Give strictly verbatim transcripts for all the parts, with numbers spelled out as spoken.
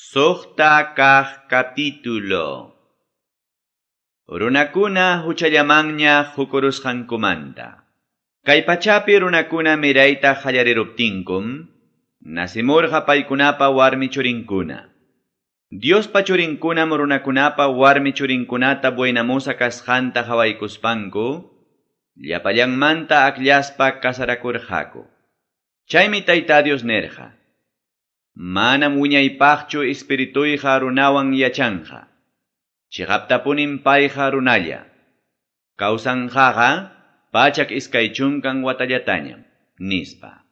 Suqta kaq capítulo. Runakuna huchallamanña hukurusqankumanta. Kay pachapi runakuna mirayta qallariruptinkum, nasimurqa paykunapa warmi churinkuna. Diospa churinkunam runakunapa warmi churinkunata buenamusa kasqanta qawaykuspanku, llapallanmanta akllaspa kasarakurqaku. Chaymi Tayta Dios nirqa: Manam wiñaypaqchu espirituyqa runawan yachanqa. Chiqaptapunim payqa runalla. Kawsanqaqa pachak iskay chunkan watallatañam, nispa.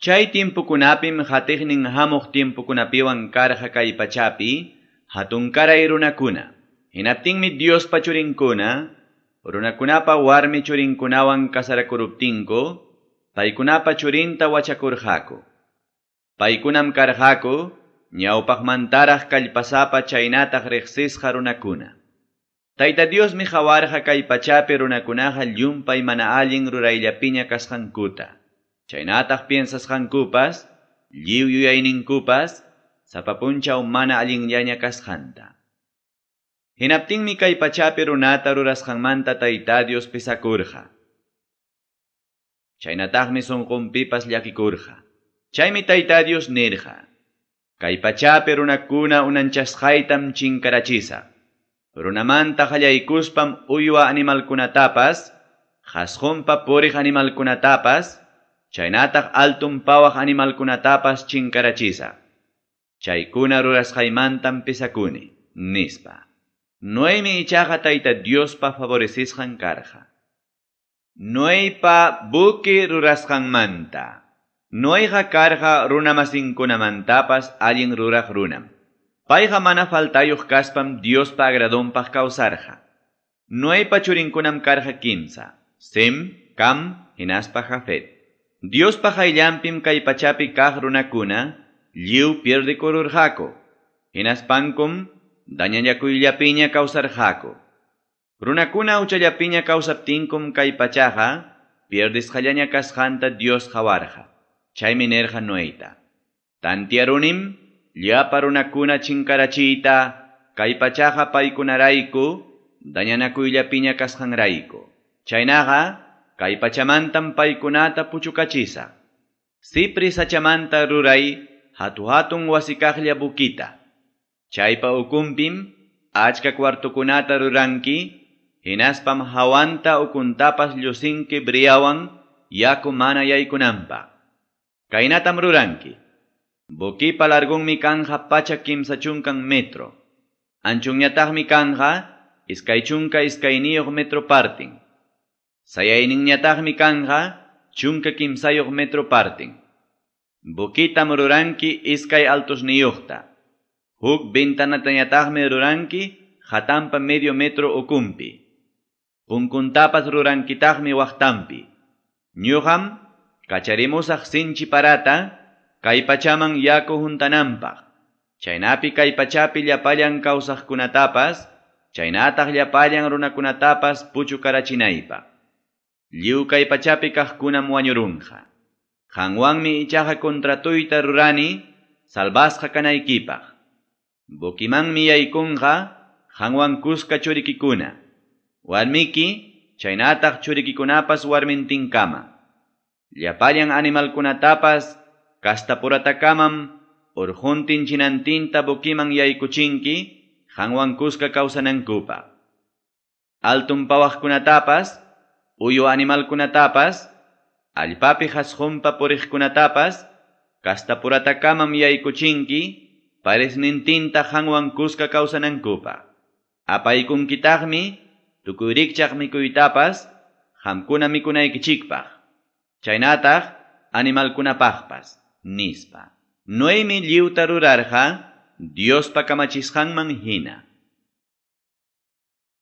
Chay timpukunapim hatiqnin hamuq timpukunapiwan karqa kay pachapi hatunkaray runakuna. Hinaptinmi Diospa churinkuna, runakunapa warmi churinkunawan kasarakuruptinku, paykunapa churinta wachakurqaku. Paykunam karqaku, ñawpaqmantaraq kallpasapa chaynataq riqsisqa runakuna. Tayta Diosmi qawarqa kay pachapi runakunaqa llumpay mana allin rurayllapiña kasqankuta. Chaynataq piensasqankupas, lliw yuyayninkupas, sapa punchaw mana allinllaña kasqanta. Hinaptinmi kay pachapi runata rurasqanmanta Tayta Dios pisakurqa. Chaynataqmi sunqunpipas llakikurqa. Chaymi Tayta Dios nirqa: Kay pachapi runakuna unanchasqaytam chinkarachisaq. Runamanta qallaykuspam uywa animalkunatapas, qhasqunpa puriq animalkunatapas, chaynataq altun pawaq animalkunatapas chinkarachisaq. Chaykuna rurasqaymantam pisakuni, nispa. Noemi ichaqa Tayta Diospa favorecisqan karqa. Noeypa buque rurasqanmanta. Noeyqa karqa runamasinkunamantapas allin ruraq runam. Payqa mana faltayuq kaspam Diospa agradonpaq kawsarqa. Noeypa churinkunam karqa kimsa: Sem, Cam, hinaspa Jafet. Diospa qayllanpim kay pachapi kaq runakuna lliw pierdekururqaku. Hinaspankum dañallakuyllapiña kawsarqaku. Runakuna huchallapiña kawsaptinkum kay pachaqa pierdisqallaña kasqanta Dios qawarqa. Chaymi nirqa Noeyta: Tantiarunim llapa runakuna chinkarachiyta kay pachaqa paykunarayku dañanakuyllapiña kasqanrayku. Chaynaqa kay pachamantam paykunata puchukachisaq. Cipri sachamanta ruray hatu-hatun wasikaqlla bukita. Chaypa ukunpim achka kwartukunata ruranki, hinaspam hawanta ukuntapas llusinki briawan yaku mana yaykunanpaq. Kaynatam ruranki. Bukipa largunmi kanja pachak kimsa chunkan metro. Anchunñataqmi kanja iskay chunka iskayniyuq metro partin. Sayayninñataqmi kanja chunka kimsayuq metro partin. Bukitam ruranki iskay altosniyuqta. Huk ventanatañataqmi ruranki hatanpa medio metro ukunpi. Punkuntapas rurankitaqmi waqtanpi. Ñuqam kacharimusaq sinchi parata kay pachaman yaku huntananpaq. Chaynapi kay pachapi llapallan kawsaqkunatapas, chaynataq llapallan runakunatapas puchukarachinaypaq. Lliw kay pachapi kaqkunam wañurunqa. Qanwanmi ichaqa contratuyta rurani salvasqa kanaykipaq. Bukimanmi yaykunqa qanwan kuska churikikuna, warmiki, chaynataq churikikunapas warmintinkama. Llapallan animalkunatapas kastapuratakamam urquntin chinantinta bukiman yaykuchinki qanwan kuska kawsanankupaq. Altun pawaqkunatapas, uywa animalkunatapas, allpapi qhasqunpa puriqkunatapas kastapuratakamam yaykuchinki paresnintinta qanwan kuska kawsanankupaq. Apaykunkitaqmi tukuy rikchaq mikuytapas qamkuna mikunaykichikpaq, chaynataq animalkunapaqpas, nispa. Noemi lliwta rurarqa Diospa kamachisqanman hina.